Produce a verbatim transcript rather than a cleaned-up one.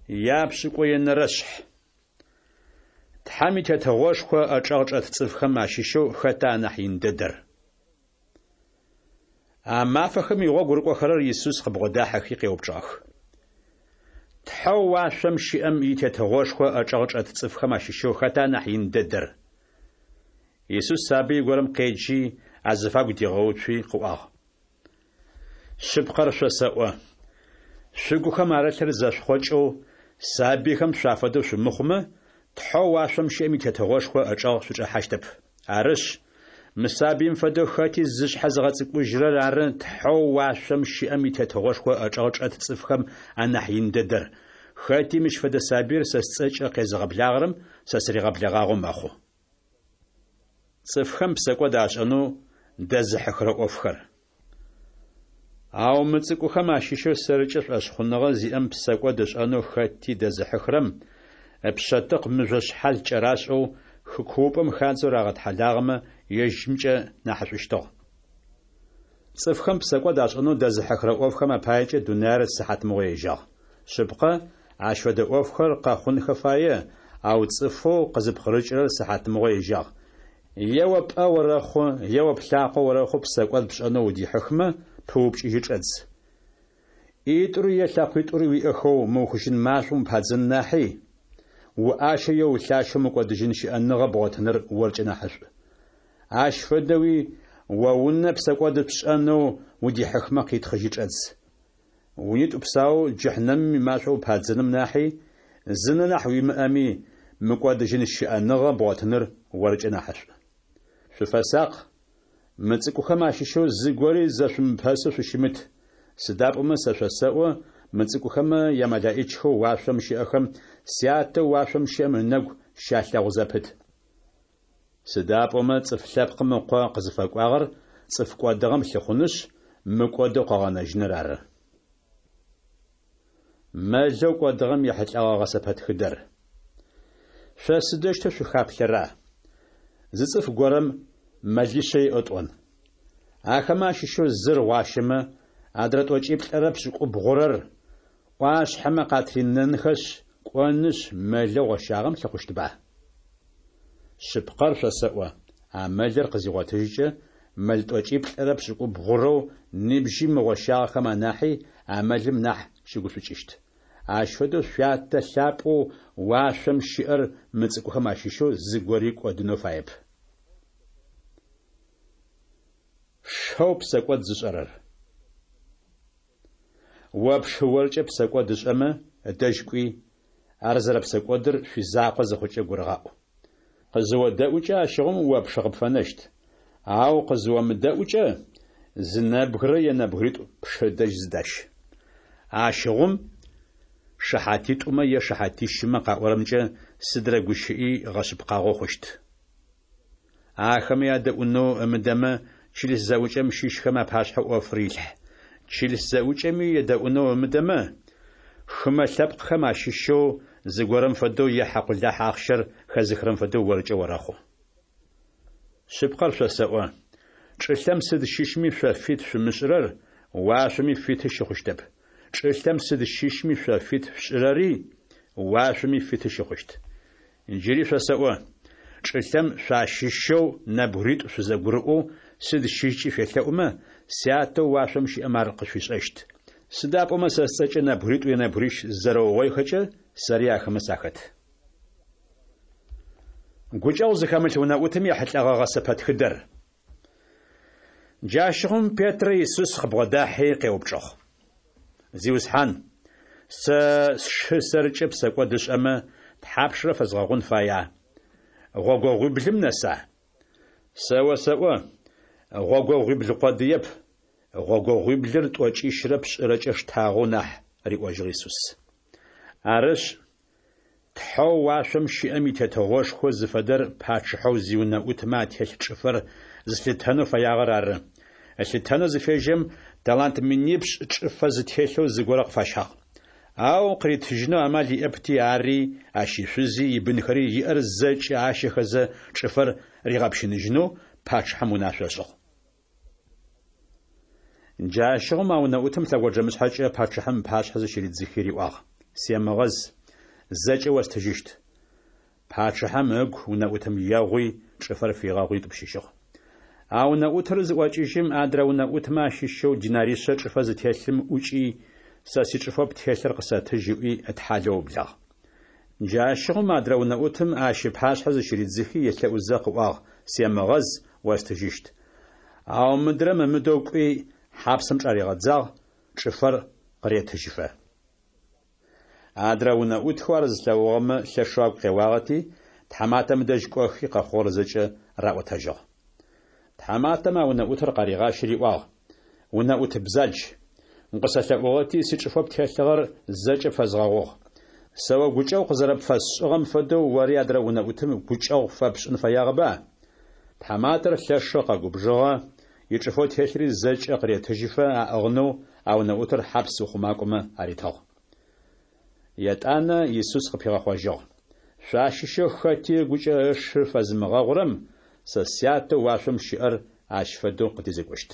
Япшӏыкӏуенэрэшъхь. Тхьэм и Тетыгъошхо ычӏэгъ чӏэт цӏыфхэм ащыщэу хэта анахь ин дэдэр? А мафэхэм игъогу рыкӏохэрэр Исус къыбгъодахьэхи къеупчӏыгъэх: Тхьэу уашъом щыӏэм и Тетыгъошхо ычӏэгъ чӏэт цӏыфхэм ащыщэу хэта анахь ин дэдэр? Исус сабый горэм къеджи, азыфагу дигъэуцуи къыӏуагъ: Шъыпкъэр шъосэӏо, шъугухэм арылъыр зэшъухъокӏэу, сабыйхэм шъуафэдэу шъумыхъумэ, Тхьэу уашъом щыӏэм и Тетыгъошхо ычӏэгъ шъучӏэхьащтэп. Арышъ, мы сабыим фэдэу хэти зышъхьэ зыгъэцӏыкӏужьырэр ары Тхьэу уашъом щыӏэм и Тетыгъошхо ычӏэгъ чӏэт цӏыфхэм анахь ин дэдэр. Хэти мыщ фэдэ сабыир сэ сцӏэкӏэ къезыгъэблагъэрэм сэ сыригъэблэгъагъэу мэхъу. Цӏыфхэм псэкӏод ашӏэнэу дэзыхьыхырэ ӏофхэр. Ау мы цӏыкӏухэм ащыщэу сэркӏэ шӏошъхъуныгъэ зиӏэм псэкӏод ышӏэнэу хэти дэзыхьыхырэм ыпшъэтыкъ мыжъо шъхьал кӏэрашӏэу хы куупӏэм хадзэу рагъэтхьэлагъэмэ ежьымкӏэ нахьышӏущтыгъ. Цӏыфхэм псэкӏод ашӏэнэу дэзыхьыхырэ ӏофхэм апаекӏэ дунаир сыхьатмыгъо ежьагъ. Шъыпкъэ, ащ фэдэ ӏофхэр къэхъунхэ фае, ау цӏыфэу къызыпкъырыкӏырэр сыхьатмыгъо ежьагъ. Е о пӏэ орэхъу, е о плъакъо орэхъу псэкӏод пшӏэнэу удихьыхмэ, пыупкӏыжьы чӏэдз. ӏитӏури е лъэкъуитӏури уиӏэхэу мыухыжьын машӏом упадзэн нахьи, уӏащэ е улъащэу мыкӏодыжьын щыӏэныгъэ бгъотыныр оркӏэ нахьышӏу. Ащ фэдэуи о унэ псэкӏод пшӏэнэу удихьыхмэ къитхъыжьы чӏэдз. Унитӏу псаоу джыхьнэмым имашӏо упадзэным нахьи, зы нэ нахь уимыӏэми, мыкӏодыжьын щыӏэныгъэ бгъотыныр оркӏэ нахьышӏу. Шъуфэсакъ, мы цӏыкӏухэм ащыщэу зыгори зэшъумыпэсэу шъущымыт. Сыда пӏомэ сэ шъосэӏо, мы цӏыкӏухэмэ ямэлэӏичхэу уашъом щыӏэхэм Сятэу уашъом щыӏэм ынэгу щалъэгъу зэпыт. Сыда пӏомэ цӏыф лъэпкъым ыкъо къызыфэкӏуагъэр цӏыф кӏодыгъэм лъыхъунышъ, мыкӏодэу къыгъэнэжьыныр ары. Мэлэу кӏодыгъэм ехьылӏэгъэ гъэсэпэтхыдэр. Шъо сыдэущтэу шъухаплъэра? Зы цӏыф горэм мэлишъэ иӏэу тӏон. Ахэмэ ащыщэу зыр гъуащэмэ, адрэ тӏокӏиплӏэрэ пшӏыкӏубгъурэр ӏуашъхьэмэ къатринэнхэшъ, кӏонышъ, мэлэу гъощагъэм лъыхъущтба? Шъыпкъэр шъосэӏо, а мэлыр къызигъотыжькӏэ, мэл тӏокӏиплӏэрэ пшӏыкӏубгъурэу ныбжьи мыгъощагъэхэм анахьи а мэлым нахь щыгушӏукӏыщт. Ащ фэдэу шъуятэ лъапӏэу уашъом щыӏэр мы цӏыкӏухэм ащыщэу зыгори кӏодынэу фаеп. Шэу псэкӏод зышӏэрэр. О пшы оркӏэ псэкӏод ышӏэмэ, ыдэжь кӏуи, ар зэрэпсэкӏодыр шъуизакъо зыхъукӏэ гурыгъаӏу. Къызыодэӏукӏэ ащыгъум о пшы къыпфэнэщт, ау къызыомыдэӏукӏэ, зы нэбгырэ е нэбгыритӏу пшы дэжь зыдащ. Ащыгъум шыхьатитӏумэ е шыхьатищымэ къаӏорэмкӏэ сыдрэ гущыӏи гъэшъыпкъагъэу хъущт. Ахэмэ ядэӏунэу ымыдэмэ, чылыс зэӏукӏэм щыщхэм апашъхьэ ӏофыр илъхь. Чылыс зэӏукӏэми едэӏунэу ымыдэмэ, хымэ лъэпкъхэм ащыщэу зыгорэм фэдэу е хьакъулахь ахъщэр хэзыхырэм фэдэу оркӏэ орэхъу. Шъыпкъэр шъосэӏо, чӏылъэм сыд щыщми шъо фит шъумышӏырэр уашъоми фиты щыхъущтэп. Чӏылъэм сыд щыщми шъо фит шъушӏырэри уашъоми фиты щыхъущт. Джыри шъосэӏо, чӏылъэм шъуащыщэу нэбгыритӏу шъузэгурыӏоу сыд щыщкӏи шъуелъэӏумэ, Сятэу уашъом щыӏэм ар къышъуишӏэщт. Сыда пӏомэ сэ сцӏэкӏэ нэбгыритӏу е нэбгырищ зызэрэугъоихэкӏэ, сэри ахэмэ сахэт. Гукӏэгъу зыхэмылъ унэӏутым ехьылӏэгъэ гъэсэпэтхыдэр. Джащыгъум Петрэ Исус къыбгъодахьи къеупчӏыгъ: Зиусхьан, сэ сшы сэркӏэ псэкӏод ышӏэмэ, тхьапшрэ фэзгъэгъун фая? Гъогогъуиблым нэса? Сэ осэӏо, гъогогъуибл къодыеп, гъогогъуиблыр тӏокӏищрэ пшӏырэкӏэ штагъэу нахь, риӏожьыгъ Исус. Арышъ, Тхьэу уашъом щыӏэм и Тетыгъошхо зыфэдэр пачъыхьэу зиунэӏутмэ ателъ чӏыфэр зылъытэнэу фэягъэр ары. Ылъытэнэу зыфежьэм талант минипшӏ чӏыфэ зытелъэу зыгорэ къыфащагъ. Ау къыритыжьынэу амал иӏэпти, ари, ащ ишъузи, ибынхэри иӏэр зэкӏэ ащэхэзэ чӏыфэр ригъэпщыныжьынэу пачъыхьэм унашъо ышӏыгъ. Джащыгъум а унэӏутым лъэгонджэмышъхьэкӏэ пачъыхьэм ыпашъхьэ зыщыридзыхи риӏуагъ: Семыгъэз, зэкӏэ остыжьыщт. Пачъыхьэм ыгу унэӏутым егъуи, чӏыфэр фигъэгъуи ытӏупщыжьыгъ. А унэӏутыр зыӏокӏыжьым, адрэ унэӏутмэ ащыщэу динаришъэ чӏыфэ зытелъым ӏукӏи, Сэ сичӏыфэу птелъыр къысэтыжь ыӏуи ытхьалэу ыублагъ. Джащыгъум адрэ унэӏутым ащ ыпашъхьэ зыщыридзыхи елъэӏузэ къыӏуагъ, Семыгъэз, остыжьыщт. Ау мыдрэм ымыдэу кӏуи, хьапсэм чӏаригъэдзагъ, чӏыфэр къыретыжьыфэ. Адрэ унэӏутхэу ар зылъэгъугъэмэ лъэшэу агу къеуагъэти, тхьаматэм ыдэжь кӏохи, къэхъугъэр зэкӏэ раӏотэжьыгъ. Тхьаматэм а унэӏутыр къаригъащи риӏуагъ: Унэӏут бзадж, укъысэлъэӏугъэти, сичӏыфэу птелъыгъэр зэкӏэ пфэзгъэгъугъ. Сэ о гукӏэгъу къызэрэпфэсшӏыгъэм фэдэу ори адрэ унэӏутым гукӏэгъу фэпшӏын фэягъэба? Тхьаматэр лъэшэу къэгубжыгъэ, ичӏыфэу телъри зэкӏэ къыретыжьыфэ аӏыгъынэу а унэӏутыр хьапс ухъумакӏомэ аритыгъ. Етӏанэ Исус къыпигъэхъожьыгъ: Шъуащыщэу хэти ыгукӏэ ышы фэзымыгъэгъурэм сэ Сятэу уашъом щыӏэр ащ фэдэу къыдезекӏощт.